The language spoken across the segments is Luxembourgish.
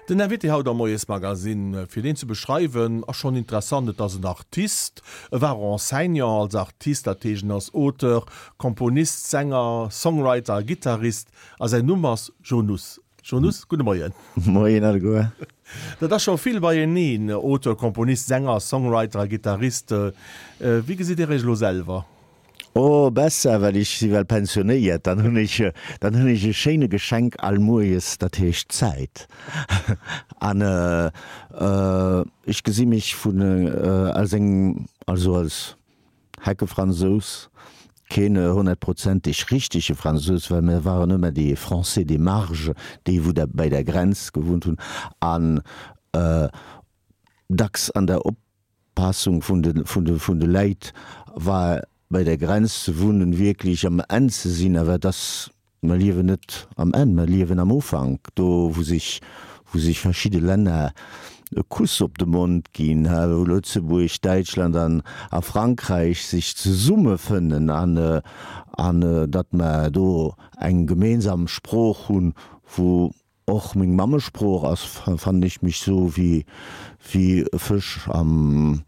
Den Invité haut am Moiesmagazine, fir deen ze beschreiwen, ass schonn interessant. Et ass en Artist, e war och Enseignant als Artist, dat heescht en ass Auteur, Komponist, Sänger, Songwriter a Gittarist a säin Numm ass Joe Nuss. Joe Nuss, gudde Moien. Moien alleguer. Dat ass scho vill beieneen, Auteur, Komponist, Sänger, Songwriter a Gittarist. Wéi gesitt Dir Iech elo selwer? Oh, besser, well ech si well pensionéiert, dann hunn ech, dann hunn ech e schéine Geschenk all Moies, dat heescht Zäit. An ech gesi mech vun als eng, also als Heckefransous, keen honnertprozenteg richtege Fransous, well mir waren ëmmer déi Français des marges, déi wou da bei der Grenz gewunnt hunn an dacks an der Op. Passung vun de, vun de, vun de Läit war bei der Grenz ze wunnen, wierklech am Enn ze sinn. Awer et ass, mer liewen net am Enn, mer liewen am Ufank, do wou sech, wou sech verschidde Länner e Kuss op de Mond ginn, wou Lëtzebuerg, Däitschland an a Frankräich sech zesummefënnen an, an datt mer do eng gemeensam Sprooch hunn, wou Och meng Mammesprooch ass, fannen ech mech sou wéi wéi e Fësch am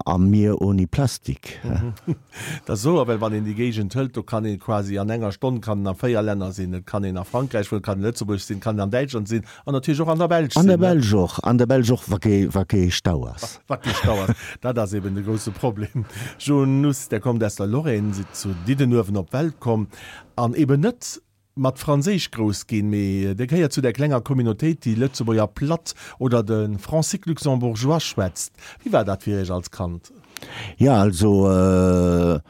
am Mier oni Plastik. Dat ass wouer, well wann een déi Géigend hëlt, do kann een quasi an enger Stonn kann en a 4 Länner sinn. Et kann een a Frankräich wunnen, et kann een a Lëtzebuerg sinn, et kann een an Däitschland sinn an natierlech och an der Belsch An der sinn. Belsch och, an der Belsch och, wa kee wa kee Stau ass. Wa kee Stau ass, dat ass eben de grousse Problem. Joe Nuss, Der kommt aus der Lorraine, sidd zu Diddenuewen op d'Welt komm an eben net mat Franséisch grouss ginn, mee Dir gehéiert zu där klenger Communautéit, déi Lëtzebuerger Platt oder de Francique luxembourgeois schwätzt. Wéi war dat fir Iech als Kand? Jo, also a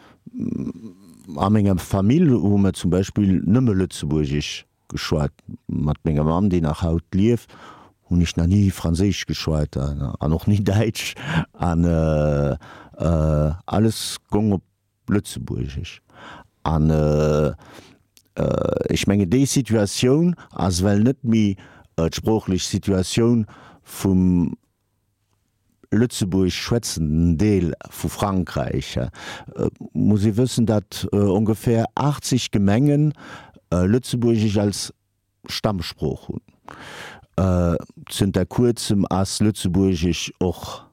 menger Famill hu mer zum Beispill nëmme Lëtzebuergesch geschwat. Mat menger Mamm, déi nach haut lieft, hunn ech nach ni Franséisch geschwat an och ni Däitsch an alles gong op Lëtzebuergesch. An ech mengen, déi Situatioun ass well net méi d'sproochlech Situatioun vum lëtzebuergesch schwätzenden Deel vu Frankräich. Et muss ee wëssen, datt ongeféier 80 Gemengen Lëtzebuergesch als Stammsprooch hunn. Zënter kuerzem ass Lëtzebuergesch och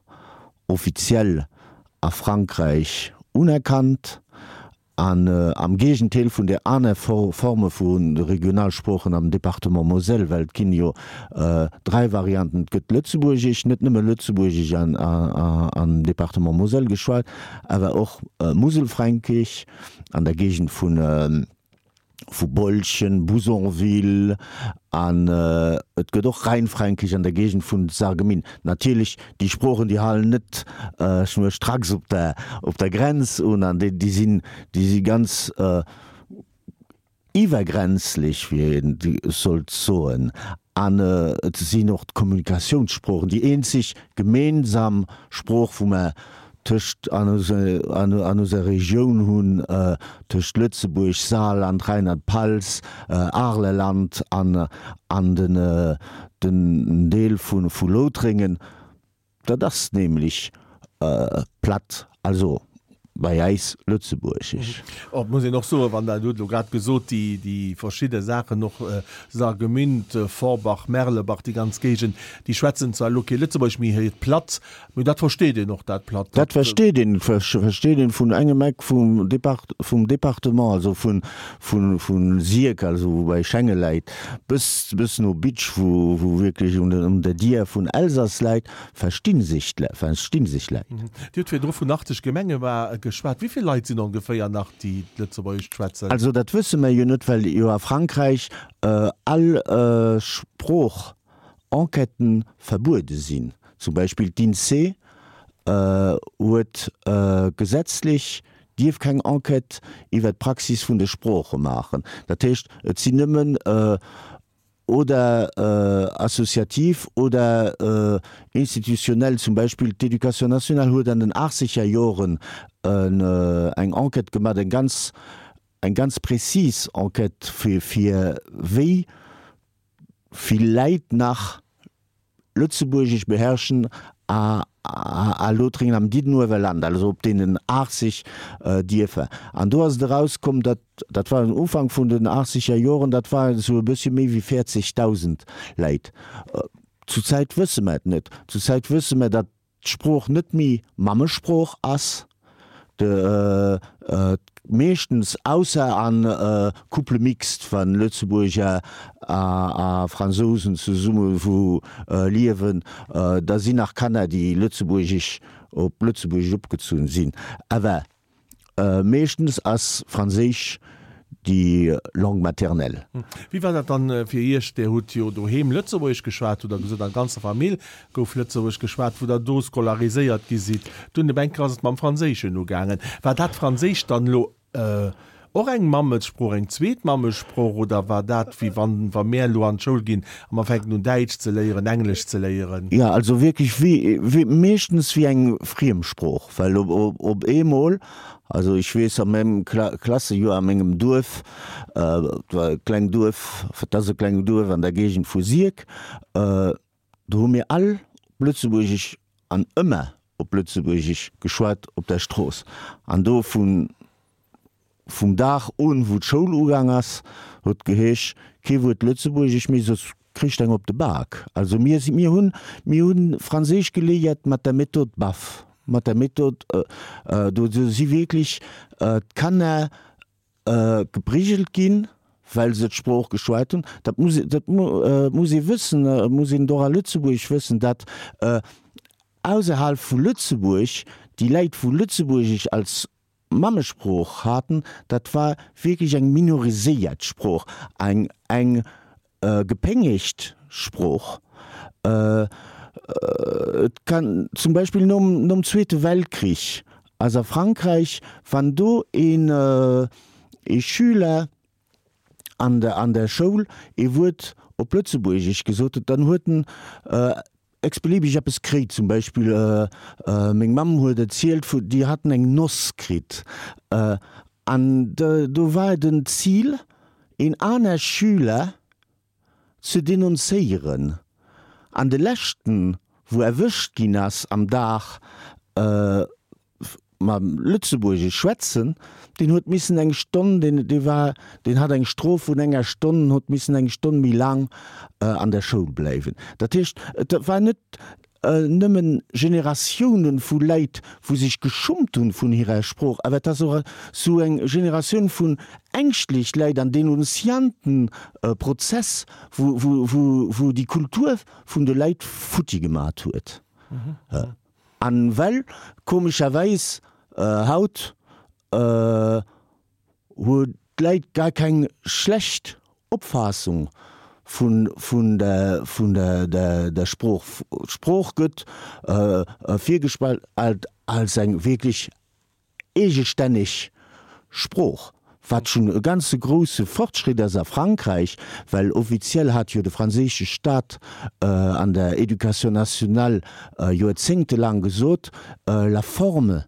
offiziell a Frankräich unerkannt an am Géigendeel vun de aner Forme vu Regionalsproochen am Département Moselle, well et ginn jo 3 Varianten, et gëtt Lëtzebuergesch, net nëmme Lëtzebuergesch am Département Moselle geschwat, awer och Muselfränkisch an der Géigend vun vu Bolchen, Bouzonville an et gëtt och Rheinfränkisch an der Géigend vun Sarreguemines. Natierlech, déi Sproochen, déi halen net schnurstracks op der, op der Grenz un an déi, déi sinn, déi si ganz iwwergrenzlech, wéi een sollt soen. An et sinn och d'Kommunikationssproochen, déi eenzeg gemeensam Sprooch, wou mer tëscht an user Regioun hunn, tëscht Lëtzebuerg, Saarland, Rheinland-Pfalz, Aarleland an an den Deel vu Loutrengen. Dat ass nämlech platt, also bei äis lëtzebuergesch. Et muss een och soen, wann Der hutt elo grad gesot, déi, déi verschidde Saachen och, Sargemünd, Forbach, Merlebach, déi ganz Géigend, déi schwätzen zwar elo kee Lëtzebuergesch, mee hiert Platt, mee dat versteet een och, dat Platt. Dat versteet een, versteet een vun engem Eck vum Depart, vum Departement, also vun, vun, vun Sierck, also wou bei Schengen läit, bis, bis no Bitsch, wou, wou wierklech un der, un der Dier vun Elsass läit, versti sech d'Leit, versti sech d'Leit. Dir hutt virdru vun 80 Gemenge geschwat. Wéi vill Leit sinn ongeféier nach, déi d'Lëtzebuergescht schwätzen? Also dat wësse mer jo net, well jo a Frankräich all Sprooch-Enquêten verbuede sinn. Zum Beispill d'INSEE huet gesetzlech dierf keng Enquête iwwer d'Praxis vun de Sprooche maachen. Dat heescht, et sinn nëmmen oder associativ oder institutionnel, zum Beispill d'Éducation nationale huet an den achtzeger Joren eng Enquête gemaach, eng ganz, eng ganz prezis Enquête, fir, fir wéi vill Läit nach Lëtzebuergesch beherrschen a a Lothringen am Diddenuewerland, also op deenen 80 Dierfer. An do ass et erauskomm, datt, dat war den Ufank vun den achtzeger Joren, dat waren esou e bëssche méi wéi 40.000 Läit. Zur Zäit wësse mer et net. Zur Zäit wësse mer, datt d'Sprooch net méi Mammesprooch ass, de meeschtens, ausser a Couple mixte, wa Lëtzebuerger a Fransousen zesumme wou liewen, da sinn nach Kanner, déi Lëtzebuergesch op Lëtzebuergesch opgezunn sinn. Awer Meeschtens ass Franséisch déi Langue maternelle. Wéi war dat dann fir Iech? Dir hutt jo doheem Lëtzebuergesch geschwat, hutt Der gesot, an der ganzer Famill gouf Lëtzebuergesch geschwat, wou Der do scolariséiert gi sidd. Dunn op eng Kéier ass et mam Franséischen ugaangen. War dat Franséischt dann elo och eng Mammesprooch, eng zweet Mammesprooch, oder war dat wéi wann, wa mär elo an d'Schoul ginn a mer fänken un Däitsch ze léieren, Englesch ze léieren? Jo, also wierklech wéi, wéi, meeschtens wéi eng Friemsprooch. Well op eemol, also ech weess a mengem Klassejoer a mengem Duerf, et war e kleng Duerf, et ass e kleng Duerf an der Géigend vu Sierck, do hu mir all op Lëtzebuergesch an ëmmer op Lëtzebuergesch geschwat op der Strooss. An do vun Vum Dag un, wou d'Schoul ugaang ass, huet geheesch, kee Wuert Lëtzebuergesch méi, soss kricht eng op de Bak. Also mir si, mir hunn, mir hunn Franséisch geléiert mat der Method Baff, mat der Method, do si wierklech d'Kanner geprigelt ginn, well se d'Sprooch geschwat hunn. Dat muss, dat muss ee wëssen, muss een och a Lëtzebuerg wëssen, dat ausserhalb vu Lëtzebuerg déi Läit, wou Lëtzebuergesch als Mammesprooch haten, dat war wierklech eng minoriséiert Sprooch, eng eng gepéngegt Sprooch. Et kann zum Beispill nom nom Zweete Weltkrich ass a Frankräich, wann do een ee Schüler an der an der Schoul ee Wuert op Lëtzebuergesch gesot huet, dann huet en x-beliebig eppes kréit. Zum Beispill meng Mamm huet erzielt vu déi haten eng Noss kritt an do war et en Zil een aner Schüler ze denunzéieren an de leschten wou erwëscht ginn ass am Dag mam Lëtzebuergesch schwätzen, deen huet missen eng Stonn, deen, dee war, deen hat eng Strof vun enger Stonn, huet missen eng Stonn méi laang an der Schoul bleiwen. Dat heescht, et war net nëmmen Generatiounen vu Läit, wou sech geschummt hunn vun hirer Sprooch, awer et ass och esou eng Generatioun vun ängschtlech Läit an Denunziantenprozess, wou, wou, wou, wou déi Kultur vun de Läit futti gemat huet. An well komescherweis haut hu d'Läit gar keng schlecht Opfaassung vun vun der vun der der Sprooch. D'Sprooch gëtt virgestallt als eng wierklech eegestänneg Sprooch, wat schonn e ganze grousse Fortschritt ass a Frankräich, well offiziell hat jo de franséische Staat an der Éducation nationale joerzéngtelaang gesot, la forme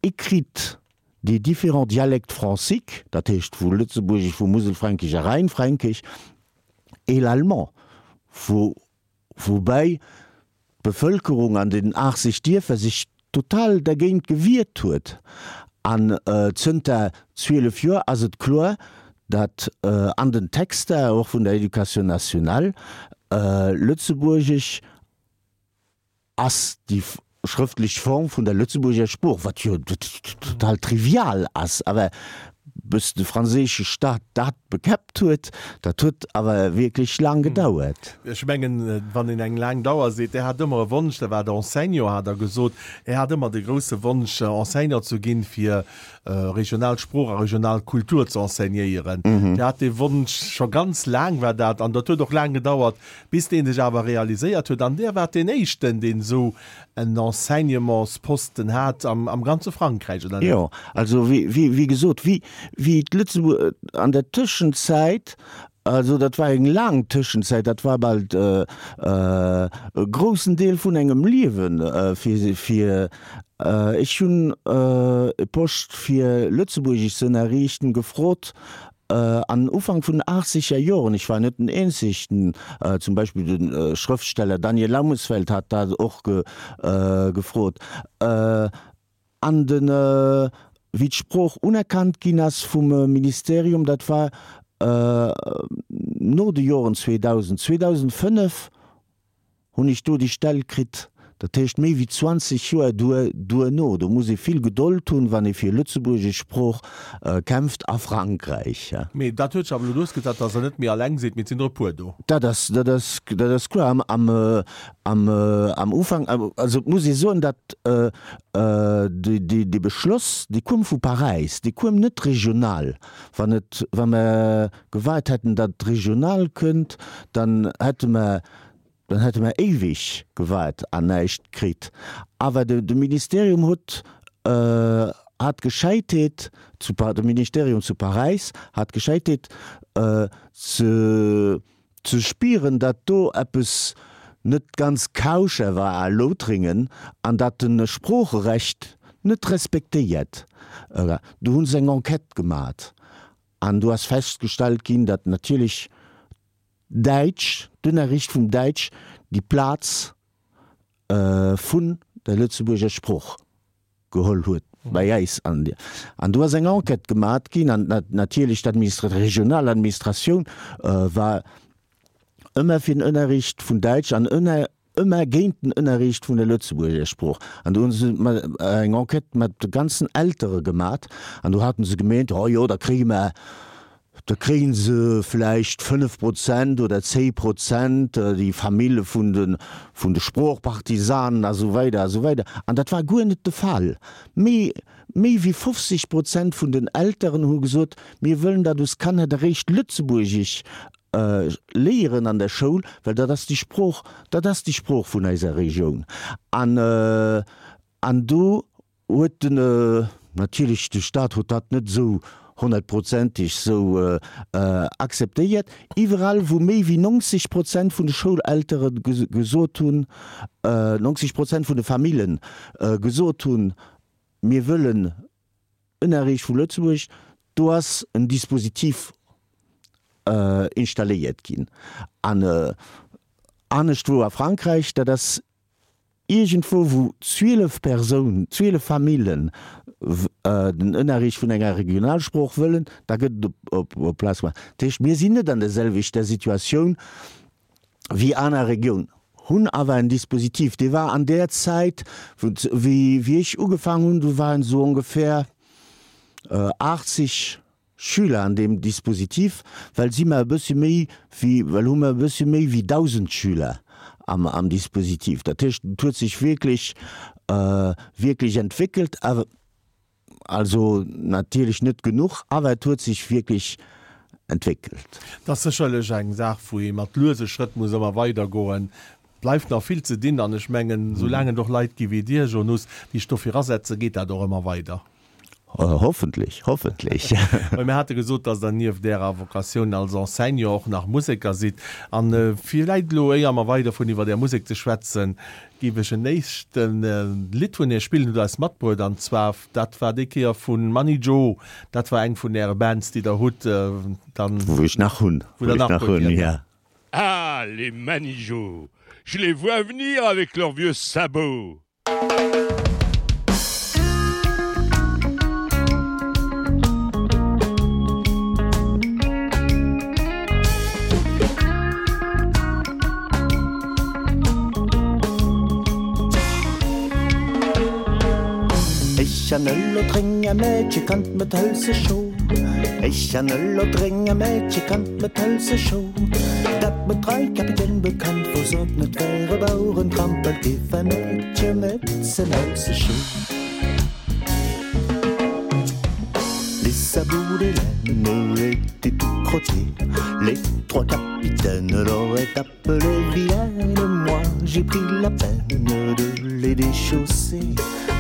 écrite des différents dialectes franciques, dat heescht vu Lëtzebuergesch, vu Muselfränkisch a Rheinfränkisch, et l'allemand, wou Woubäi d'Bevëlkerung an den 80 Dierfer sech total dergéint gewiert huet. An zënter 12 Joer ass et kloer, datt an den Texter, och vun der Education nationale, Lëtzebuergesch ass déi schrëftlech Form vun der Lëtzebuerger Sprooch, wat jo total trivial ass, awer bis de franséische Staat dat bekäppt huet, dat huet awer wierklech laang gedauert. Ech mengen, wann een eng laang Dauer seet, Der hat ëmmer e Wonsch, Der waart Enseignant, hat Der gesot, Är hat ëmmer de grousse Wonsch, Enseignant ze ginn, fir regional Sprooch a regional Kultur ze enseignéieren. Dir hat dee Wonsch scho ganz laang, war dat, an dat huet och laang gedauert, Bis deen sech awer realiséiert huet, an där waart deen éischten, deen esou en Enseignementsposten hat am ganze Frankräich, oder net? Jo, also wéi gesot, wéi d'Lëtzebuerg an der Tëschenzäit, also dat war eng laang Tëschenzäit, dat war bal e groussen Deel vun engem Liewen, fir, ech hunn e Poste fir Lëtzebuergesch ze ënnerriichten gefrot An Ufank vun den achtzeger Joren, ech war net den eenzegten, zum Beispill de Schrëftsteller Daniel Laumesfeld hat dat och gefrot, an de wéi d'Sprooch unerkannt ginn ass vum Ministerium, dat war no de Joren 2000, 2005. Hunn ech do déi Stell kritt. Dat heescht méi wéi 20 Joer duerno. Do muss ee vill Gedold hunn, wann ee fir lëtzebuergesch Sprooch kämpft a Frankräich. Mee dat huet sech awer elo duerchgesat, datt Der net méi alleng sidd, mee et sinn der e puer do. Dat ass, dat ass, dat ass kloer. Am, am, am, am Ufank, also et muss ee soen, datt déi, déi, dee Beschloss, dee koum vu Paräis, dee koum net regional. Wann et, wa mer gewaart hätten, datt et regional kënnt, dann hätte mer, Dann hätte mer éiweg gewaart an näischt kritt. Awer de Ministerium huet, hat d'Gescheitheet zu, de Ministerium zu Paräis hat d'Gescheitheet ze, ze spieren, datt do eppes net ganz kauscher war a Loutrengen an datt de Sproocherecht net respektéiert war. Do hu se eng Enquête gemat an do ass festgestallt ginn, datt natierlech Däitsch, d'Unnerricht vum Däitsch déi Plaz vun der Lëtzebuerger Sproch geholl huet bei äis. An do ass eng Enquête gemat ginn an natierlech d'Administra-, regional Administratioun war ëmmer fir den Ënnerricht vun Däitsch an ëmmer géint den Ënnerricht vun der Lëtzebuerger Sprooch. An do hu se eng Enquête mat de ganzen Eltere gemat an do haten se gemeent, oh jo, da kréie mer, da kréie se vläicht 5 Prozent oder 10 Prozent, déi Famille vun de, vun de Sproochpartisanen a sou weider a sou weider. An dat war guer net de Fall. Méi, méi wéi 50 Prozent vun den Elteren hu gesot, mir wëllen, datt us Kanner eréischt Lëtzebuergesch léieren an der Schoul, well dat ass déi Sprooch, dat ass déi Sprooch vun eiser Regioun. An, an do huet den, natierlech de Stat huet dat net esou honnertprozenteg esou akzeptéiert. Iwwerall wou méi wéi 90 Prozent vun de Schouleltere gesot hunn, 90 Prozent vun de Famillen gesot hunn, mir wëllen Ënnerriicht vu Lëtzebuerg, do ass en Dispositif installéiert ginn. An anescht wou a Frankräich, dat ass iergendwou wou 12 Persoun, 12 Famillen den Ënnerriicht vun enger Regionalsprooch wëllen, da gëtt et op Place gemaach. Dat heescht, mir sinn net an der selwechter Situatioun wéi aner Regioun, hunn awer en Dispositif, dee war an där Zäit, wéi ech ugefaangen hunn, do waren esou ongefähr 80 Schüler an deem Dispositif, well si mer e bëssche méi wéi, well hu mer e bëssche méi wéi 1.000 Schüler am, am Dispositif. Dat heescht, et huet sech wierklech, wierklech entwéckelt, awer. Also natierlech net genuch, awer et huet sech wierklech entwéckelt. Et ass sécherlech eng Saach, wou ee mat luese Schrëtt muss ëmmer weidergoen. Et bleift nach vill ze dinn an ech mengen, soulaang et och Leit gi wéi Dir, Jonas, déi sech dofir asetzen, geet dat och ëmmer weider. Hoffentlech, hoffentlech. Well mir hate gesot, dass Der nieft Ärer Vocatioun als Enseignant och nach Museker sidd. An villäit elo, éier mer weiderfueren iwwer Är Musek ze schwätzen, Géif ech en éischten Lidd vun iech spillen, hutt eis matbruet, an zwar dat war déi Kéier vun Mani Joe, dat war eng vun äre Bands déi der hutt, dann. Wou ech nach hunn, wou der nach hutt, ja. Ah, les Manijots, je les vois venir avec leurs vieux sabots! Ech an e Lothrénger Mädche kannt mat hëlze Scho Ech an e Lothrénger Mädche kannt mat hëlze Scho Dat mat drei Kapitän bekannt wor sot net wäre Baueren trampelt géif e Mädche met ze hëlze Scho Les sabots d'Hélène étaient tout crottés Les trois capitaines l'auraient appelée vilaine Moi j'ai pris la peine de les déchausser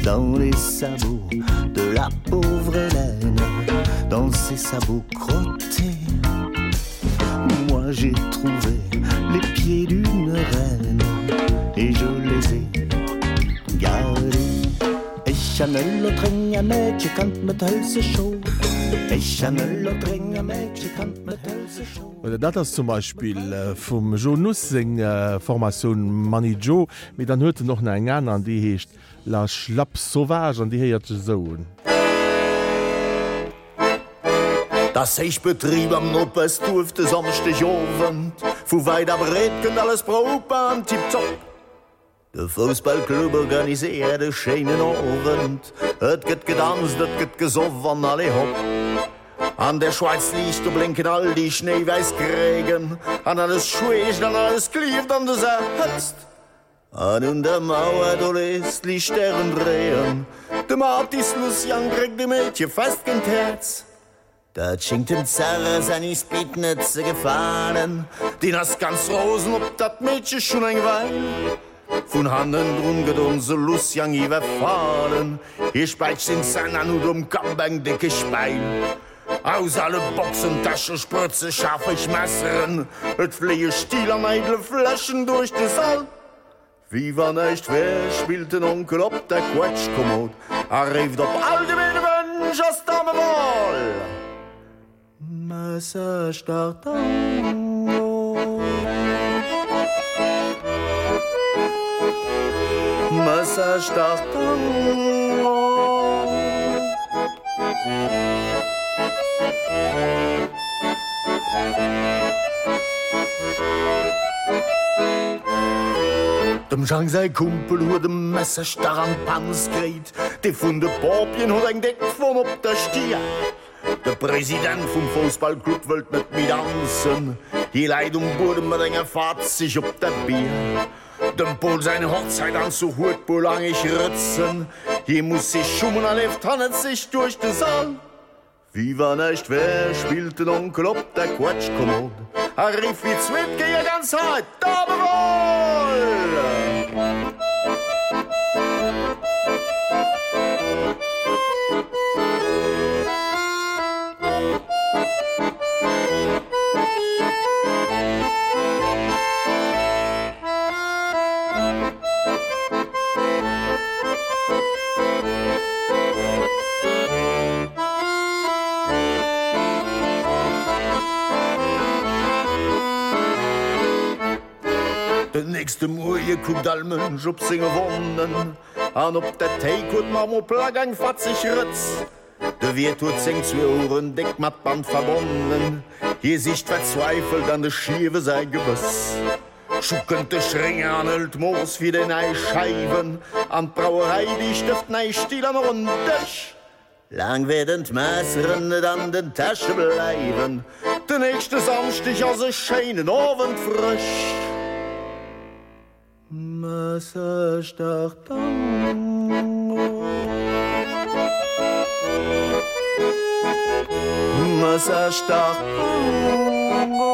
Dans les sabots de la pauvre Hélène Dans ses sabots crottés Moi j'ai trouvé les pieds d'une reine Et je les ai gardés Ech an e Lothrénger Mädche kannt mat hëlze Scho Ech an e Lothrénger Mädche kannt mat hëlze Scho. Oder dat ass zum Beispill vum Jo Nuss seng Formatioun Mani Joe. Mee dann huet en och nach eng aner an déi heescht La Schlapp Sauvage an déi héiert sech esou un. T'ass héich Betrib am Nopeschduerf de Samschdeg Owend. Vu wäit a breet kënnt alles proper an tiptop. De Foussballclub organiséiert e schéinen Owend, et gëtt gedanzt, et gëtt gesoff an allez hopp. An der Schweiz liicht, do blénken all déi schnéiwäiss Krägen, an alles schweegt an alles klieft an dëser Hëtzt. An un der Mauer, do léisst d'Liicht Stären dréien, dem Artist Lucian dréckt e Meedche fest géint d'Häerz. Dat schéngt dem Zerr säin Ispit net ze gefalen, deen ass ganz rosen op dat Meedche schonn eng Weil. Vun hannendrun gëtt onse Lucian iwwerfalen, hie späicht seng Zänn an huet um Kapp eng déckeg Päil. Aus alle Boxen, Täsche sprëtze schaarfeg Messeren, et fléie Still an eidle Fläschen duerch de Sall. Wéi wann näischt wär, spillt den Onkel op der Quetschkommod a réift op all gemeene Wënsch ass d'Damewal. Messerstach Tango. Messerstach Tango. Dem Jang säi Kumpel huet e Messerstach an d'Panz kréit, dee vun de Pompjeeën huet eng déck Wonn op der Stier. De President vum Foussballclub wëllt net méi danzen, hie läit um Buedem mat enger Fatzeg op der Bier. Dem Pol säin Hochzäitanzuch huet puer langeg Rëtzen, hie muss sech schummen a leeft hannert sech duerch de Sall. Wéi wann näischt wär, spillt den Onkel op der Quetschkommod a rifft fir d'zweet Kéier ganz haart, Dabewoll! Den nächste Muerje kuckt all Mënsch op senge Wonnen an op der Théik huet d'Marmorplack eng fatzeg Rëtz. De Wiert huet seng zwee Oueren déck mat Band verbonnen, hie sicht verzweifelt an de Schiewe säi Gebëss. Scho kënnt de Schrénger an hëlt d'Mooss fir déi nei Scheiwen an d'Brauerei, déi stëft nei Still an och en Dësch. Laang wäerten d'Messeren net an den Täsche bleiwen, den nächste Samschdeg ass e schéinen Owend frësch. Messerstach Tango Messerstach Tango.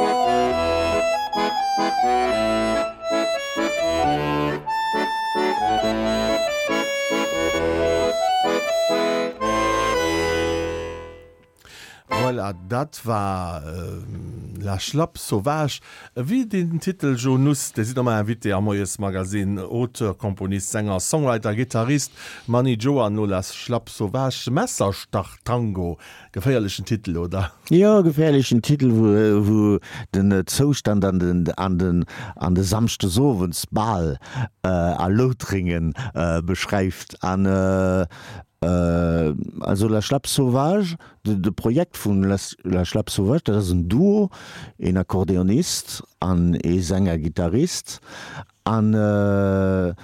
Voilà, dat war La Schlapp Sauvage. Wéi den Titel Jo Nuss, Dir sidd ëmmer Invité am Moiesmagazine, Auteur, Komponist, Sänger, Songwriter, Gittarist Mani Joe an no La Schlapp Sauvage, Messerstach-Tango. Geféierlechen Titel, oder? Jo, geféierlechen Titel, wou den Zoustand an den an den an de Samschdesowends bal a Loutrengen beschreift. An also La Schlapp Sauvage, de Projekt vun La Schlapp Sauvage, dat ass en Duo, een Akkordeonist an ee Sänger-Gittarist. An de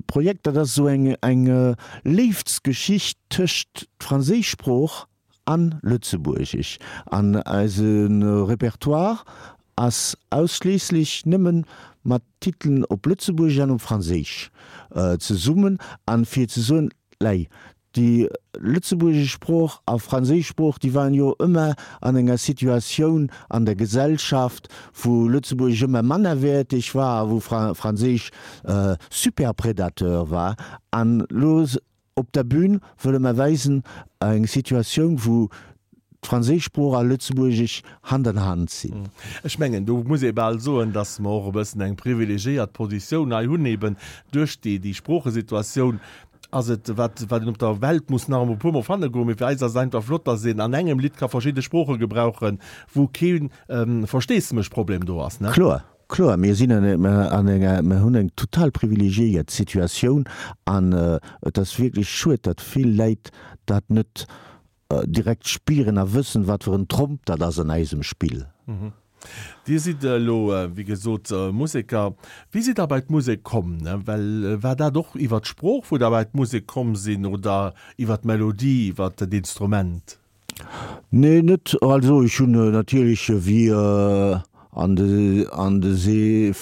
Projekt, dat ass esou eng eng Léiftsgeschicht tëscht d'franséisch Sprooch an Lëtzebuergesch. An eise Repertoire ass ausschliisslech nëmme mat Titelen op Lëtzebuergesch an op Franséisch zesummen. An fir ze soen, Lei, déi lëtzebuergesch Sprooch a franséisch Sprooch, déi waren jo ëmmer an enger Situatioun an der Gesellschaft, wou Lëtzebuergesch ëmmer mannerwäerteg war a wou Franséisch Superpredateur war. An elo op der Bühn wëlle mer weisen eng Situatioun, wou d'franséisch Sprooch a Lëtzebuergesch Hand an Hand sinn. Ech mengen, do muss ee bal soen, datt mer och e bëssen eng privilegiéiert Positioun hei hunn, eben duerch déi, déi Sproochesituatioun ass et, wat, wat een op der Welt muss nach emol e puermol fanne goen, mee fir eis ass et einfach flott, datt een an engem Lidd ka verschidde Sprooche gebrauchen, wou kee Versteesdemech-Problem do ass, ne? Kloer, kloer, mir sinn an enger, mir hunn eng total privilegiéiert Situatioun an et ass wierklech schued, datt vill Läit dat net direkt spieren a wëssen, wat fir en Tromp dat ass an eisem Spill. Dir sidd elo, wéi gesot, Museker. Wéi sidd Der bei d'Musek komm? Well war dat och iwwer d'Sprooch, wou Der bei d'Musek komm sinn oder iwwer d'Melodie, iwwer d'Instrument? Nee, net. Also ech hunn natierlech wéi an de an de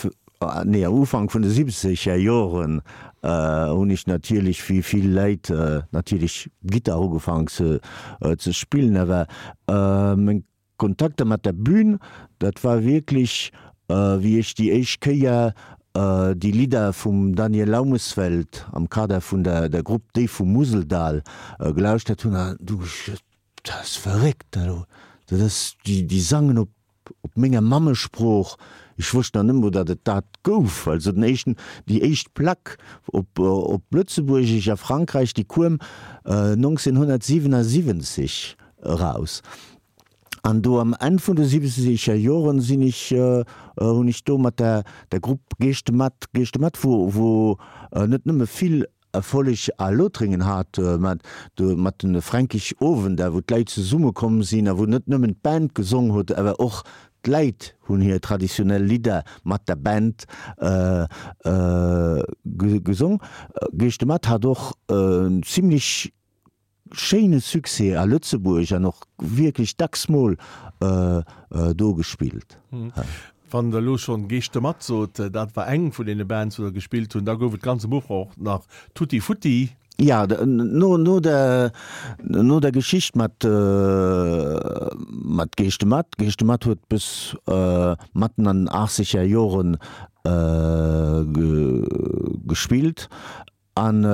nee am Ufank vun de siwwenzeger Joren hunn ech natierlech wéi vill Leit natierlech Gittar ugefaangen ze ze spillen. Awer meng Kontakter mat der Bühn, dat war wierklech wéi ech déi éischt Kéier déi Lidder vum Daniel Laumesfeld am Kader vun der der Grupp Déi vum Museldal gelauschtert hunn an du ech gesot, dat ass verréckt dat do, dat ass, déi déi sangen op op menger Mammesprooch, ech wosst nach net mol datt et dat gouf. Also den éischten, déi éischt Plack op op Lëtzebuergesch a Frankräich, déi kuem 1977 eraus. An do am Enn vun de siwwenzeger Joren sinn ech, hunn ech do mat der der Grupp Geeschte mat, Geeschte mat, wou wou net nëmme vill Erfolleg a Lothringen hat, mä do mat de Fränkisch Owender, wou d'Leit zesumme komm sinn a wou net nëmmen d'Band gesong huet, awer och d'Leit hunn hir traditionell Lidder mat der Band gesong. Geeschte mat hat och en zimlech Schéine Succès a Lëtzebuerg an och wierklech dacks mol do gespillt. Wann der elo schonn Geescht de Matt sot, dat war eng vun deene Bands wou der gespillt hunn, da gouf et ganz am Ufank och nach Tutti Futti. Ja, no no der no der Geschicht mat mat Geescht de Matt, Geescht de Matt huet bis matten an den achtzeger Joren gespillt an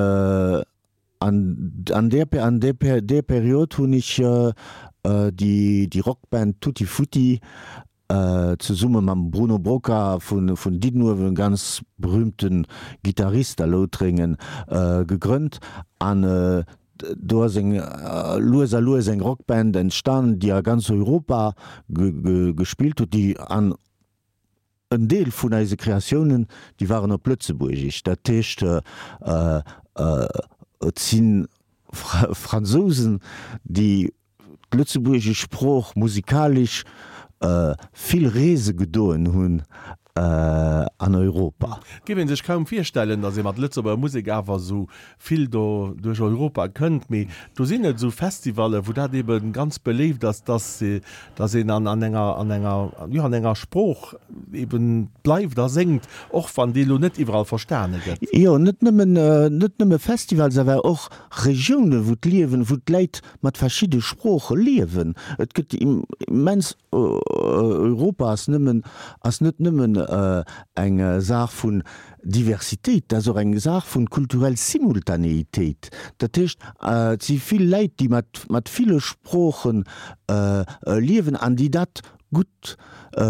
An an där an där där Period hunn ech déi déi Rockband Tutti Futti zesumme mam Bruno Broca vun vun Diddenuewen, ganz berühmte Gittarist a Loutrengen, gegrënnt. An do ass eng lues a lues eng Rockband entstan, déi a ganz Europa gespillt huet, déi an En Deel vun eise Kreatiounen, déi waren op Lëtzebuergesch. Dat heescht, et si Fransousen, déi d'lëtzebuergesch Sprooch musikalesch vill Reese gedoen hunn an Europa. Et géif ee sech kaum virstellen, datt ee mat Lëtzebuerger Musek awer esou vill do duerch Europa kënnt, mee do sinn et esou Festivallen, wou dat ebe ganz beléift ass, dass dass een an an enger an enger jo an enger Sprooch eben bleift a séngt, och wann déi elo net iwwerall verstane gëtt. Jo, net nëmmen net nëmme Festivals, awer och Regiounen, wou d'Liewen, wou d'Läit mat verschidde Sprooche liewen. Et gëtt immens, Europa ass nëmmen ass net nëmmen eng Saach vun Diversitéit, dat ass och eng Saach vun kulturell Simultanéitéit. Dat heescht, et si vill Läit, déi mat, mat ville Sproochen liewen an déi dat gutt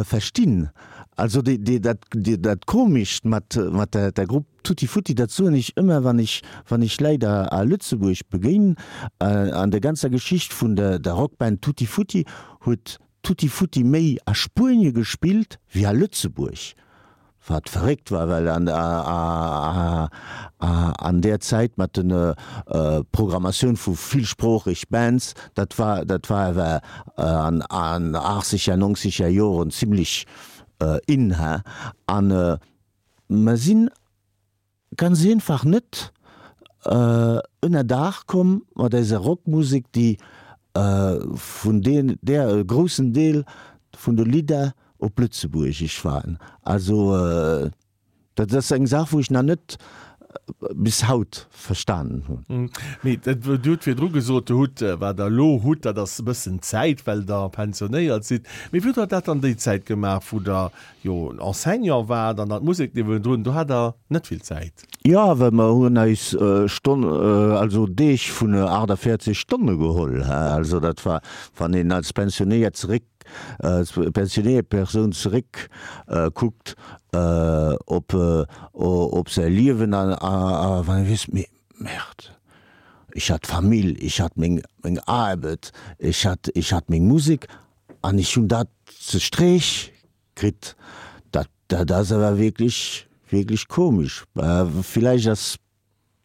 verstinn. Also déi, déi, dat, dat Komescht mat, mat der, der Grupp Tutti Futti, dat soen ech ëmmer, wann ech, wann ech Läit a, a Lëtzebuerg begéinen, an der ganzer Geschicht vun der, der Rockband Tutti Futti huet Tutti Futti méi a Spuenie gespillt wéi a Lëtzebuerg, wat verréckt war, well an där Zäit mat de Programmatioun vu villsproocheg Bands, dat war dat war awer an achtzeger, nonzeger Joren zimlech in. An mer sinn Ganz einfach net ënner Daach komm mat eiser Rockmusek, déi vun där e groussen Deel vun de Lidder op Lëtzebuergesch waren. Also dat ass eng Saach, wou ech nach net bis haut verstanen hunn. Mee Dir hutt virdru gesot, Dir hutt, wat Der elo hutt, dat ass e bëssen Zäit, well Der pensionéiert sidd. Mee wéi hutt Der dat dann déi Zäit gemaach, wou Der jo Enseignant waart an dann d'Musek niewendrun, do hat der net vill Zäit. Jo, well mer hunn eis Stonn, also Deeg vun 48 Stonne geholl. Also dat war, wann een als Pensionéiert zeréck, als pensionéiert Persoun zeréck kuckt op op säi Liewen a wann ee weess, mee Merde, ech hat Famill, ech hat meng meng Aarbet, ech hat ech hat meng Musek An ech hunn dat ze Streech kritt. Dat, dat ass awer wierklech, wierklech komesch. Villäicht ass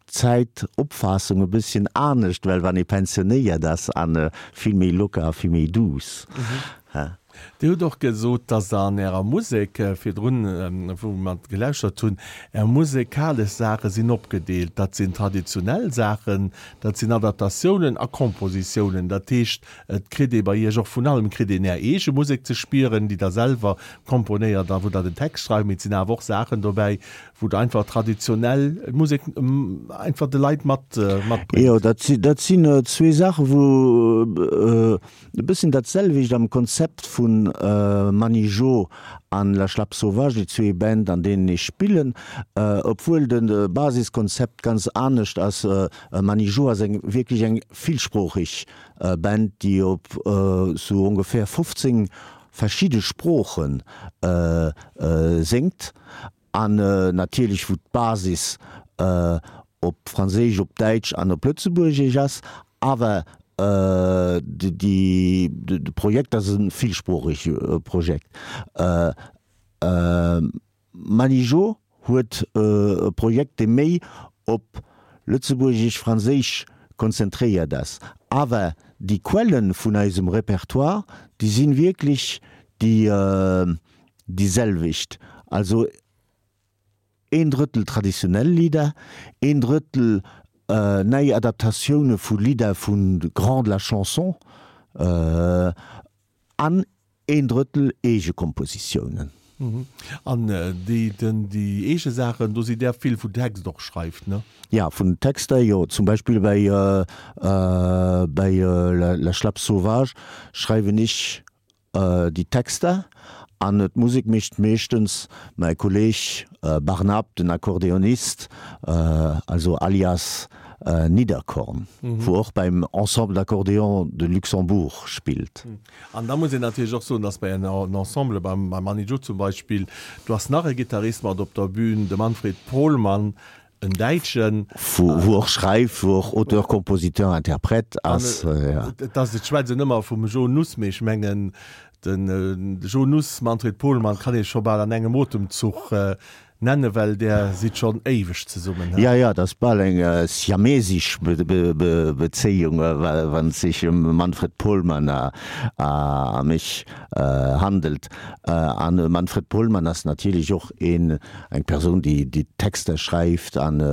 d'Zäitopfaassung e bësschen anescht, well wann ee pensionéiert ass a vill méi locker a vill méi douce. Dir hutt och gesot, dass Der an Ärer Musek, virdrun, wou mer gelauschtert hunn, Är musekalesch Saache sinn opgedeelt. Dat sinn traditionell Saachen, dat sinn Adaptatiounen a Kompositiounen. Dat heescht, et kritt ee bei Iech och vun allem, kritt een Är eege Musek ze spieren, déi Der selwer komponéiert a wou Der den Text schreift, mee et sinn awer och Saachen dobäi, wou Der einfach traditionell Musek einfach de Leit mat matbréngt. Jo, dat sinn zwee Saachen, wou E bëssen dat selwecht am Konzept vu Mani Jo an La Schlapp Sauvage, déi zwee Band an deenen ech spillen, obwuel de Basiskonzept ganz anescht ass. Mani Jo ass eng wierklech eng villsproocheg Band, déi op sou ongeféier 15 verschidde Sprooche séngt an natierlech wou d'Basis op Franséisch, op Däitsch an op Lëtzebuergesch ass, awer de Projekt ass e villsproochege Projekt. Manijo huet e Projekt, dee méi op Lëtzebuergesch-Franséisch konzentréiert ass, awer déi Quelle vun eisem Repertoire, déi si wierklech déi selwecht. Also Een Drëttel traditionell Lidder, een Drëttel nei Adaptatioune vu Lidder vu Grands de la chanson an een Drëttel eege Kompositiounen. An déi eege Saachen, do sidd Där vill wou Text och schreift, ne? Ja, vun Texter, jo. Zum Beispill bei La Schlapp sauvage schreiwen ech Déi Texter an d'Musek mécht meeschtens mäi Kolleg Barnab, den Akkordeonist, also alias Nidderkorn, wou och beim Ensemble d'accordéon de Luxembourg spillt. An da muss een natierlech och soen, dass bei engem Ensemble, beim Manny Joe zum Beispill, do ass nach e Gittarist mat op der Bühn, de Manfred Pohlmann, En Däitschen. Wou och schreift, wou och Auteur, Compositeur, Interprète ass. Et ass, ech schwätzen ëmmer vum Jo Nuss, mee ech mengen, de Jo Nuss, Manfred Pohlmann kann ee scho bal an engem Otemzuch nennen, well där sidd schonn éiweg zesummen, he? Jo, jo, dat ass bal eng siamesisch Bezéiung, wann et sech ëm Manfred Pohlmann a mech handelt. A Manfred Pohlmann ass natierlech och een, Eng Persoun, déi déi Texter schreift an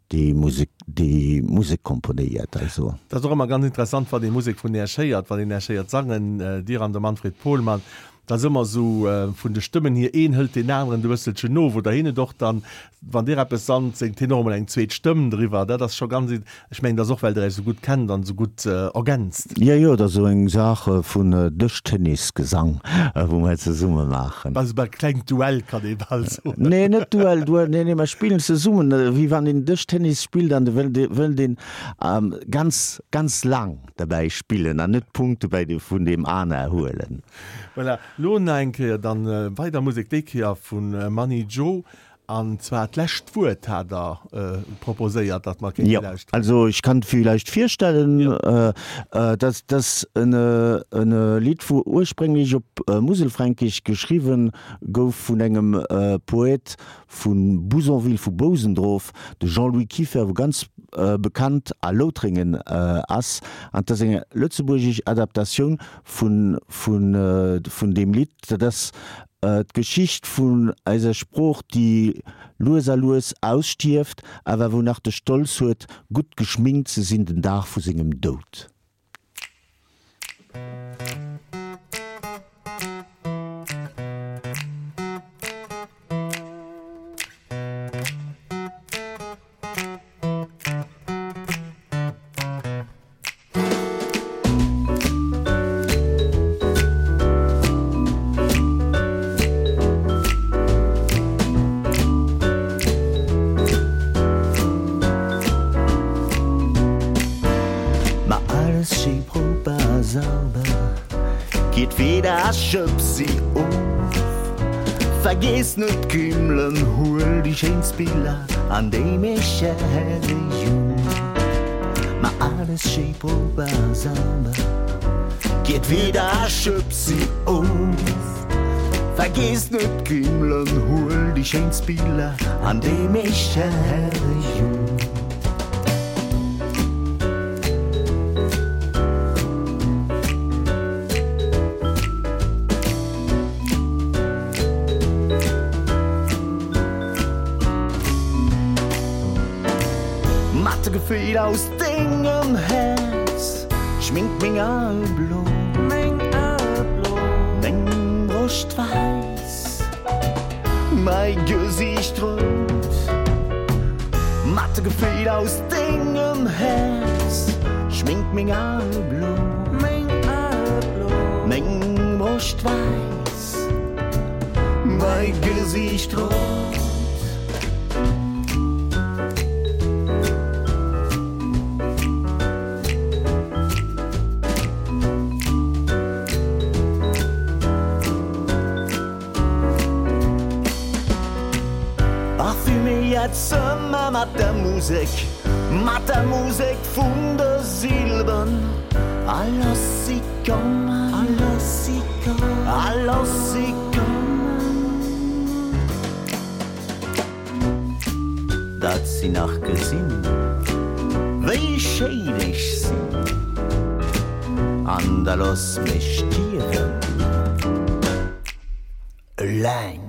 déi Musek, déi Musek komponéiert, also. Dat ass och ëmmer ganz interessant, wann ee Musek vun Äech héiert, wann een Äech héiert sangen, Dir an de Manfred Pohlmann, dat ass ëmmer esou vun de Stëmmen hier, een hëlt deen aneren e bësselchen no, wou der hien et och dann, wann Dir eppes sangt, séngt hien och emol eng zweet Stëmm driwwer. Dat ass scho ganz, Ech mengen, dat ass och, well Der Iech esou gutt kennt an esou gutt ergänzt. Jo, jo, dat ass esou eng Saach vun Dëschtennisgesang, wou mer zesumme maachen. Also e klengt Duell, kann ee bal soen. Nee, net Duell, Duell, nee, nee, mer spillen zesummen, wéi wann een Dëschtennis spillt an et wëllt, wëllt een ganz, ganz laang derbäi spillen an net d'Punkte bäi de, vun deem aner huelen. Voilà, lo nach eng Kéier dann weider Musek, déi Kéier vu Mani Joe An zwar d'lescht Wuert hat Der proposéiert, datt mer kéinte Jo, lauschteren. also ech kann villäicht virstellen, dass dass en e Lidd, wou ursprénglech op Muselfränkisch geschriwwen gouf vun engem Poet vu Bouzonville, vu Bousendrof, de Jean-Louis Kieffer, wou ganz bekannt a Loutrengen ass. An 't ass eng lëtzebuergesch Adaptatioun vun vun deem Lidd. Dat ass D'Geschicht vun eiser Sprooch, déi lues a lues ausstierft, awer wou nach de Stolz huet, gutt geschminkt ze sinn den Dag vu sengem Doud. Ma alles schéi proper a sauber, Gitt wieder a schëpp si of. Vergiess net d'Kümmelen, huel déi schéinst Biller an déi meescht Herrejung. Ma alles schéi proper a sauber, Gitt wieder a schëpp si of. Vergiess net d'Kümmelen, huel déi schéinst Biller an déi meescht Herrejung. Gefill aus dengem Häerz schminkt meng Ae blo, meng Ae blo, meng Broscht wäiss, mäi Gesiicht rout. Mat de Gefill aus dengem Häerz schminkt meng Ae blo, meng Ae blo, meng Broscht wäiss, mäi Gesiicht rout. Parfuméiert Zëmmer mat der Musek, mat der Musek vun de Silben. A looss si kommen, a looss si kommen, a looss si kommen. Dat si nach gesinn, wéi schéin ech sinn, an da looss mech stierwen eleng.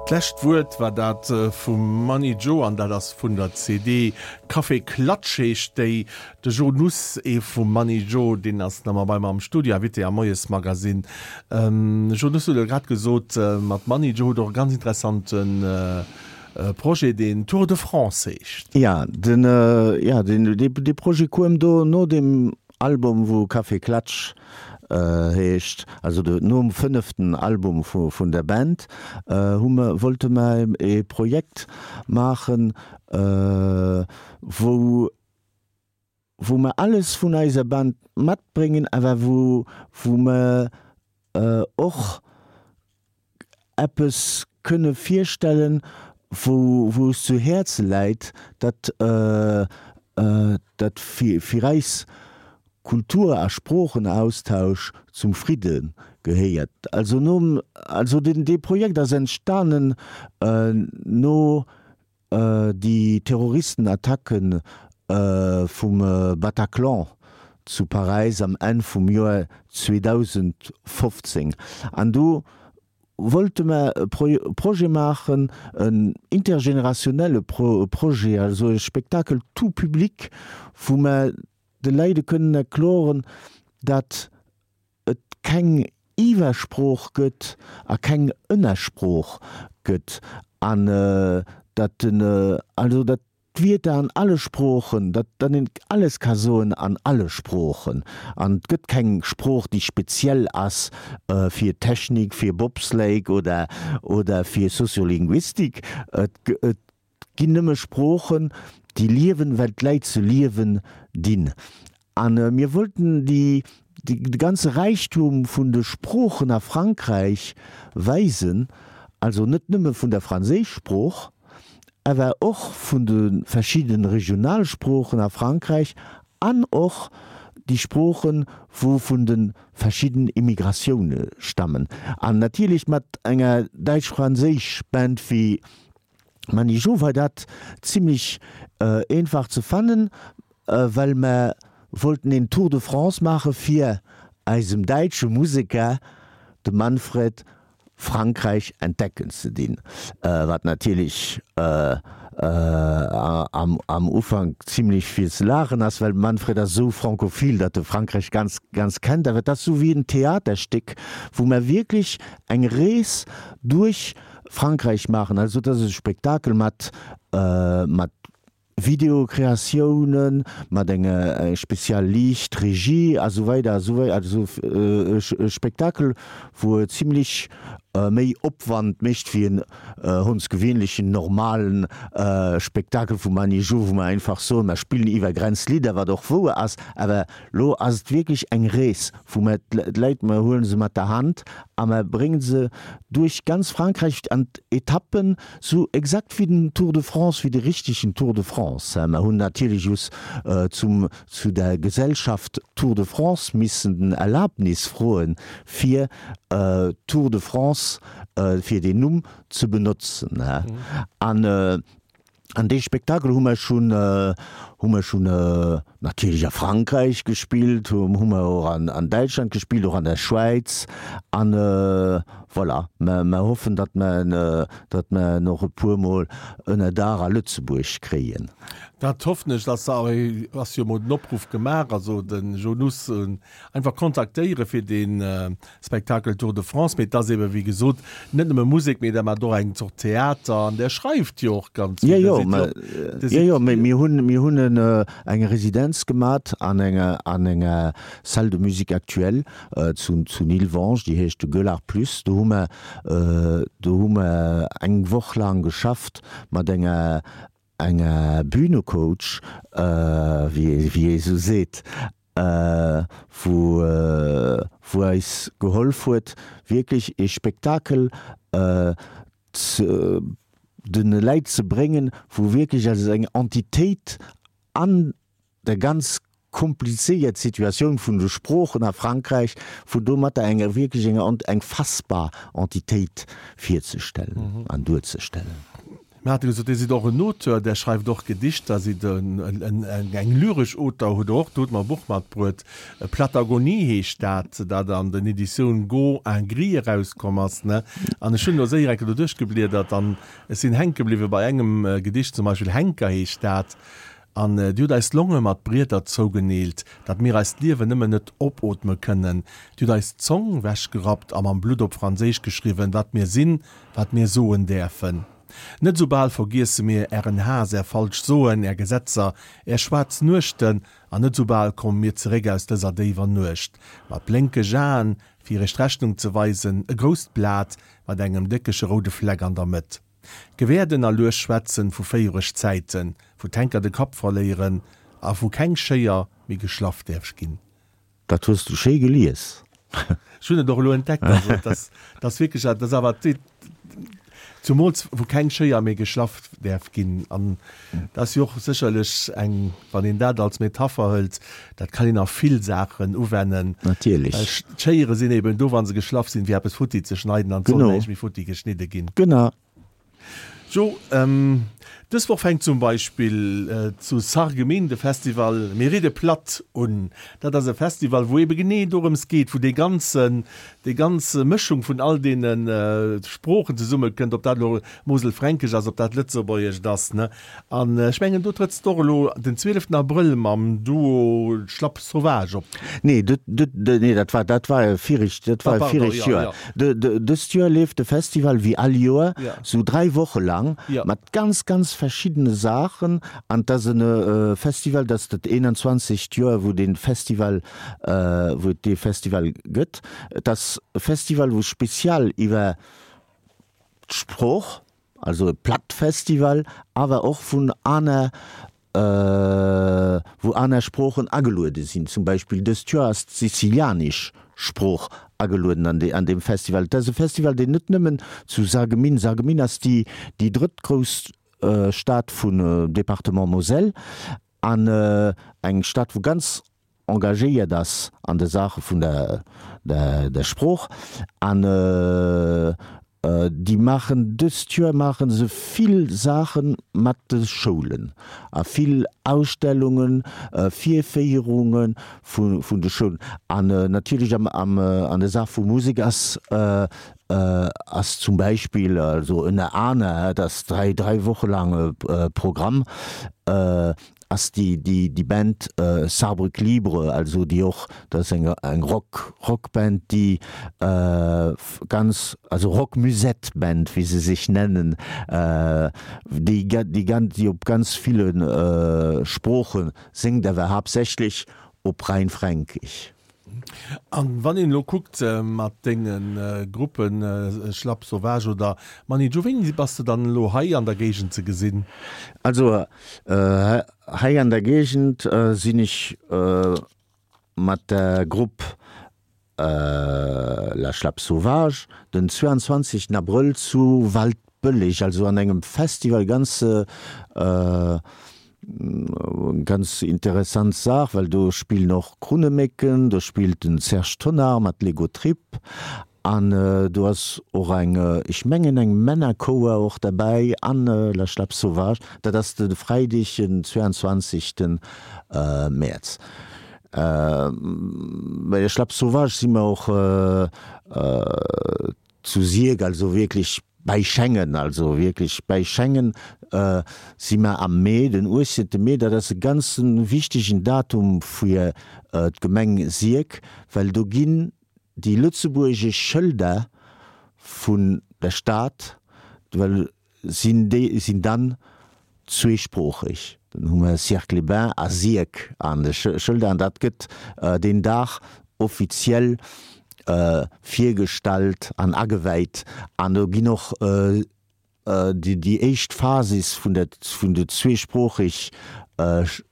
D'lescht Wuert war dat vum Mani Joe an dat ass vun der CD Café Klatsch heescht déi. De Jo Nuss, ee vum Mani Jo, deen ass nach ëmmer bei mer am Studio, Invité am Moiesmagazine. Jo Nuss huet elo grad gesot, mat Mani Jo hutt Der och e ganz interessante Projet, deen Tour de France heescht. Jo, den, jo, den, dee Projet koum do no deem Album, wou Café Klatsch heescht, also de, nom fënneften Album vu, vun der Band, hu mer, wollte mer ee Projekt maachen, wou, wou mer alles vun eiser Band matbréngen, awer wou, wou mer och eppes kënne virstellen, wou, wou es zu Häerze läit, dat, dat fir, fir eis Kultur a Sproochenaustausch zum Fridde gehéiert. Also nom, also deen, dee Projekt ass entstanen no Déi Terroristenattacke vum Bataclan zu Paräis am Enn vum Joer 2015. An do wollte mer e Projet maachen, en intergenerationelle Projet, also e Spectacle tout public, wou mer de Läide kënnen erkloren, dat et keng Iwwersprooch gëtt a keng Ënnersprooch gëtt an datt den, also datt d'Wierder an alle Sproochen, datt datt een alles ka soen an alle Sproochen an et gëtt keng Sprooch déi speziell ass fir Technik, fir Bobsleigh oder oder fir Soziolinguistik. Et et ginn nëmme Sproochen, déi liewen, well d'Läit se liewen dinn. A mir wollten déi, de ganze Räichtum vun de Sproochen a Frankräich weisen, also net nëmme vun der Franséischsprooch, awer och vun de verschiddene Regionalsproochen a Frankräich an och déi Sproochen, wou vun de verschidden Immigratioune stammen. An natierlech mat enger däitsch-franséisch Band wéi Mani Jo war dat zimlech eenfach ze fannen, well mer wollten een Tour de France maache fir eisem däitsche Museker, dem Manfred, Frankräich entdecken ze dinn, wat natierlech am Ufank zimlech fir ze laachen ass, well de Manfred ass esou francophil, datt e Frankräich ganz, ganz kennt. Awer et ass esou wéi en Theaterstéck, wou mer wierklech eng Rees duerch Frankräich maachen. Also et ass e Spektakel mat mat Videokreatiounen, mat enger spezial Liicht, Regie a sou weider a sou weider. Also e Spektakel wou e zimlech méi Opwand mécht wéi en hondsgewéinlechen normalen Spektakel vum Annie Jo, wou mer einfach soen, mer spillen iwwer Grenz Lidder, wat och wouer ass, awer lo ass et wierklech eng Rees wou mer d'Leit, mer huele se mat der Hand a mer brénge se duerch ganz Frankräich an d'Etappen, sou exakt wéi den Tour de France, wéi de richtegen Tour de France. Mer hunn natierlech just zum, zu der Gesellschaft Tour de France missen den Erlaabnis froen, fir Tour de France, fir deen Numm ze benotzen. An. An dee Spektakel hu mer schonn, hu mer schonn natierlech a Frankräich gespillt, hu mer och an Däitschland gespillt, och an der Schwäiz. An voilà, mer hoffen, datt mer en, datt mer en och e puermol ënner Daach a Lëtzebuerg kréien. Dat hoffen ech. Ass ass jo emol den Opruff gemaach, also de Joe Nuss Einfach kontaktéiere fir dee Spektakel Tour de France. Mee et ass ebe wéi gesot net nëmme Musek, mee der maacht och eng Zort Theater an der schreift jo och ganz vill. Jo, jo, jo, mee mir hunn, mir hunn eng Residenz gemat an enger, an enger Salle de musique actuelle zu, zu Nilvange, déi heescht de Gueulard Plus. Do hu mer, do hu mer eng Woch laang geschafft mat enger, enger Bühnecoach, wéi ee sou seet, wou wou eis gehollef huet wierklech ee Spektakel ze de Läit ze bréngen, wou wierklech als eng Entitéit an der ganz komplizéiert Situatioun vun de Sproochen a Frankräich, wou domatter eng wierklech eng eng fassbar Entitéit virzestellen an duerzestellen. Mir hate gesot, Dir sidd och en Auteur, Der schreift och Gedichter, sidd eng lyresch Auteur, hutt och, do hutt mer e Buch matbruet, Platagonie heescht dat, dat an den Editioun Go en Gris erauskomm ass, ne? An ech hunn elo séier eng Kéier do duerchgebliedert an ech sinn hänke bliwwe bei engem Gedicht zum Beispill, Henker heescht dat, An Dir hutt eis d'Longe mat Brieder zougeneelt, datt mir eist Liewen nëmmen net opootme kënnen. Dir hutt eis d'Zong wechgerappt a mam Blutt op Franséisch geschriwwen, wat mir sinn, wat mir soen däerfen. Net esou bal vergiesse mir Ären Haass, Är falsch Soen, Är Gesetzer, Är schwaarz Nuechten, an net esou bal komme mir zeréck aus dëser déiwer Nuecht mat blénkeg Aen, fir Iech d'Rechnung ze weisen, e grousst Blat mat engem déckege roude Fleck an der Mëtt. Gewäerden a lues schwätzen vu féiereg Zäiten, wou d'Henker de Kapp verléieren a wou keng Schéier méi geschlaff däerf ginn. Dat hues du schéi gelies. Ech hunn et och elo entdeckt, also et ass, et ass wierklech, et ass awer, zumools wou keng Schéier méi geschlaff däerf ginn. An dat ass jo och sécherlech eng, wann een dat als Metapher hëlt, dat kann een a vill Saachen uwennen. Natierlech. Well d'Schéiere sinn eben do, wa se geschlaff sinn, fir eppes futti ze schneiden an et soll näischt méi futti geschnidde ginn. Genau. Jo, dës Woch fänkt zum Beispill zu Sarreguemines de Festival Mir ridde platt un. Dat ass e Festival, wou ebe genee dorëms geet, wou dee ganzen, déi ganz Mëschung vun all deene Sproochen zesummekënnt, ob dat elo Moselfränkesch ass, ob dat Lëtzebuergescht ass, ne? An ech mengen, do trëtts de och elo den 12 Abrëll mam Duo Schlapp Sauvage op. Nee, nee, dat war, dat war e viregt, dat war e viregt Joer. Dëst Joer leeft de Festival wéi all Joer sou 3 Woche lang mat ganz, ganz verschiddene Saachen. An 't ass e Festival, dat ass dat 21. Joer, wou dee Festival, wou et dee Festival gëtt. Et ass e Festival, wou spezial iwwer d'Sprooch, also e Plattfestival, awer och vun aner, wou aner Sproochen ageluede sinn. Zum Beispill dëst Joer ass d'sizilianesch Sprooch agelueden an an deem Festival. Et ass e Festival, deen net nëmmen zu Sarreguemines, Sarreguemines ass déi déi drëttgrouss Stad vun Département Moselle an eng Stad, wou ganz engagéiert ass an de Saache vun der Sprooch an déi maachen dëst Joer maache se vill Saache mat de Schoulen a vill Ausstellungen, Virféierunge vun de Schoulen an natierlech an der Saach vu Musek ass ass zum Beispill also ënner aner, et ass 3 3 Woche laang e Programm, ass déi déi déi Band Saarbrück Libre, also déi och, dat ass eng eng Rock Rockband, déi ganz, also Rock Musette Band wéi se sech nennen, déi déi ganz déi op ganz ville Sprooche séngt, awer haaptsächlech op Rheinfränkisch. An wann een elo kuckt mat denge Gruppen Schlapp Sauvage oder Mani Joe, wéini bass de dann elo hei an der Géigend ze gesinn? Also hei an der Géigend sinn ech mat der Grupp La Schlapp Sauvage den 22 Abrëll zu Waldbëlleg, also an engem Festival, ganz Ganz interessant Saach, well do spillen och Krunnemécken, do spillt den Serge Tonnar mat Lego Trip. An do ass och eng, ech mengen eng Männerchouer och derbäi an La Schlapp Sauvage. Dat ass de Freideg den 22. Mäerz. Bei der Schlapp Sauvage si mer och zu Sierck, also wierklech bäi Schengen, also wierklech bäi Schengen si mer am Mee, den 18. Mee. Dat ass e ganz wichtegen Datum fir d'Gemeng Sierck, well do ginn déi lëtzebuergesch Schëlder vun der Stad, well sinn déi sinn dann zweesproocheg, dann hu mer Sierck-les-Bains a Sierck an de Schëlder an dat gëtt deen Dag offiziell virgestallt an ageweit an do ginn och Déi éischt Phasis vun der vun de zweesproocheg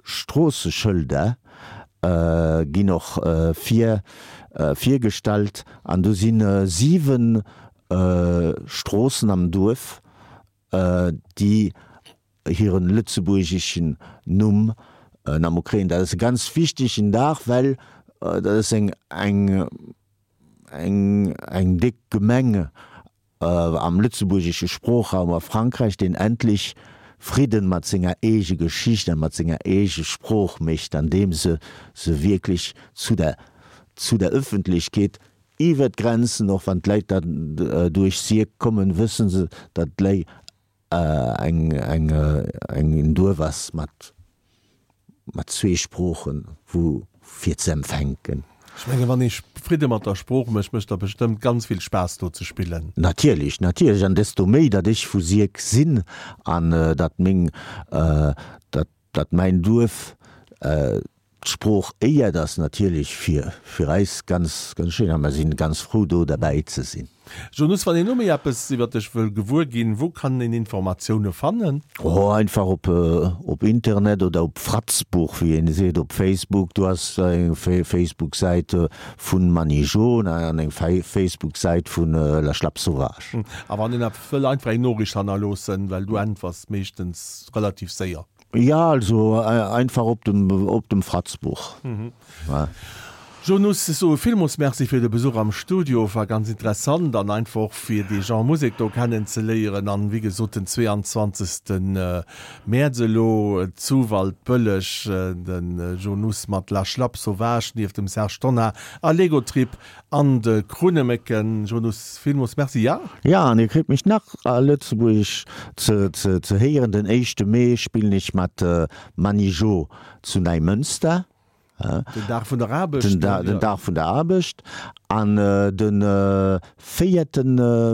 Stroosseschëlder ginn och vir virgestallt an do si 7 Stroossen am Duerf, déi hiren lëtzebuergeschen Numm nammo kréien. Dat ass e ganz wichtegen Dag, well dat ass eng eng eng déck Gemeng am lëtzebuergesche Sproochraum a Frankräich, deen endlech Fridden mat senger eege Geschicht a mat senger eege Sprooch mécht, andeem se se wierklech zu der zu der Ëffentlechkeet iwwer d'Grenzen, och wann d'Leit dann duerch Sierck kommen, wësse se, datt lei eng eng en Duerf ass mat mat zwee Sproochen, wou fir ze empfänken. Ech mengen, wann ee Fridde mat der Sprooch mécht, mécht der bestëmmt ganz vill Spaass do ze spillen. Natierlech, natierlech, an desto méi, datt ech vu Sierck sinn an datt meng, datt, datt mäin Duerf D'Sprooch éiert ass natierlech fir fir eis ganz ganz schéin a mer sinn ganz frou do derbäi ze sinn. Jeannus, wann een elo méi eppes iwwer dech wëll gewuer ginn, wou kann een Informatioune fannen? Oh, einfach op op Internet oder op Fratzbuch, wéi een seet, op Facebook. Do ass eng Facebook-Säit vun Manijaune an eng Facebook-Säit vun La Schlapp Sauvage. A wann een eppes wëll, einfach eng Noriicht hannerloossen, well du äntwers meeschtens relativ séier. Jo, also einfach op dem, op dem Fratzbuch. Jeannus, ech soe villmools Merci fir de Besuch am Studio. War ganz interessant an einfach och fir dee Genre Musek do kennen ze léieren. An wéi gesot den 22. Mäerz elo zu Waldbëlleg de Jeannus mat La Schlapp Sauvage nieft dem Serge Tonnar a Lego Trip An de Krunnemécken, Jeannus, villmools Merci, ja? Ja, an dir kritt mech nach a Lëtzebuergesch ze héieren. Den éischte Mee spillen ech mat Manijo zu Neimënster. Den Dag vun der Aarbecht. Den Dag vun der Aarbecht. An de véierte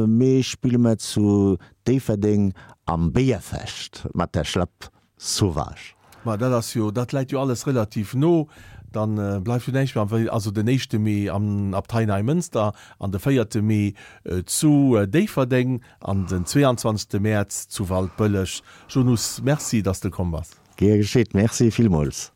Mee spille mer zu Déifferdeng am Béierfecht mat der Schlapp Sauvage. Ma dat ass jo, dat läit jo alles relativ no. Dann bleift jo näischt méi wéi, also den éischte Mee am Abtei Neimënster an de véierte Mee zu Déifferdeng an den 22. Mäerz zu Waldbëlleg. Jeannus, Merci, dass de komm bass. Gär geschéet, Merci villmools.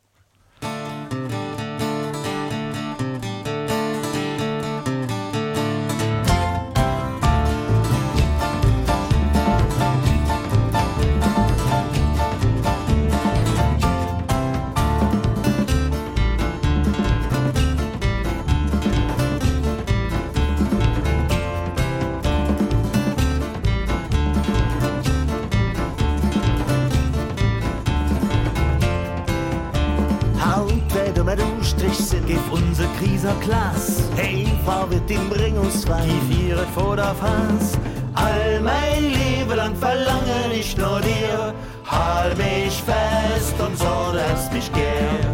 Haut wär do met Ustrich sinn. Géif onse Kriser Klaas. Hey Frau Wirtin, bring uns Wein. Gif ihr et vor der Faass. All mäin Liewe lang verlangen ich no dir, Hal mech fest und so, du häss mich gär.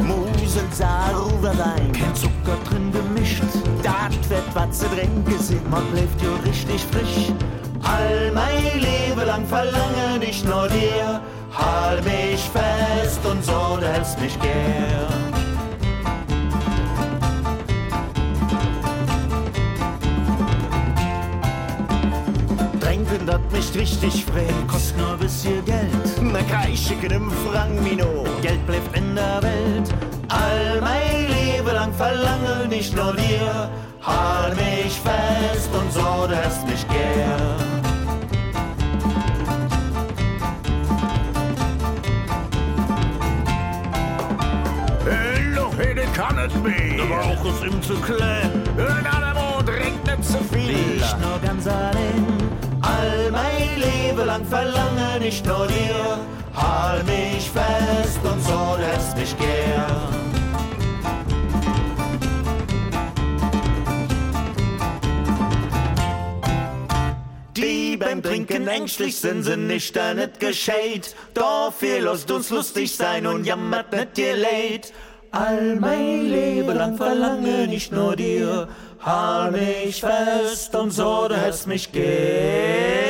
Musel, Saar, Ruwerwein. Keen Zucker drin gemischt. Dat wäert wat ze drénke sinn. Ma bléift jo richtig frisch. All mäi Liewe lang verlangen ich no dir, Hal mech fest und so, du häss mich gär. Drénken, dat mécht richtig Freed. Kost nur e bëssche Geld. Mer kräische kengem Frang méi no. D'Geld bléift en der Welt. All mäi Liewe lang verlangen ich no dir. Hal mech fest und so, du häss mich gär. net méi. De Bauch ass him ze kleng. En Alamo drénkt net ze vill. Liicht no ganz alleng. All mäi Liewe lang verlangen ich no dir. Hal mech fest und so, du häss mech gär. Déi beim Drénken ängschtlech sinn, sinn éischter net geschéit. Dofir loosst uns lustig sein und jammert net dir Léit. All mäi Liewe lang verlangen ich no dir, hal mech fest und so, du häss mech gär.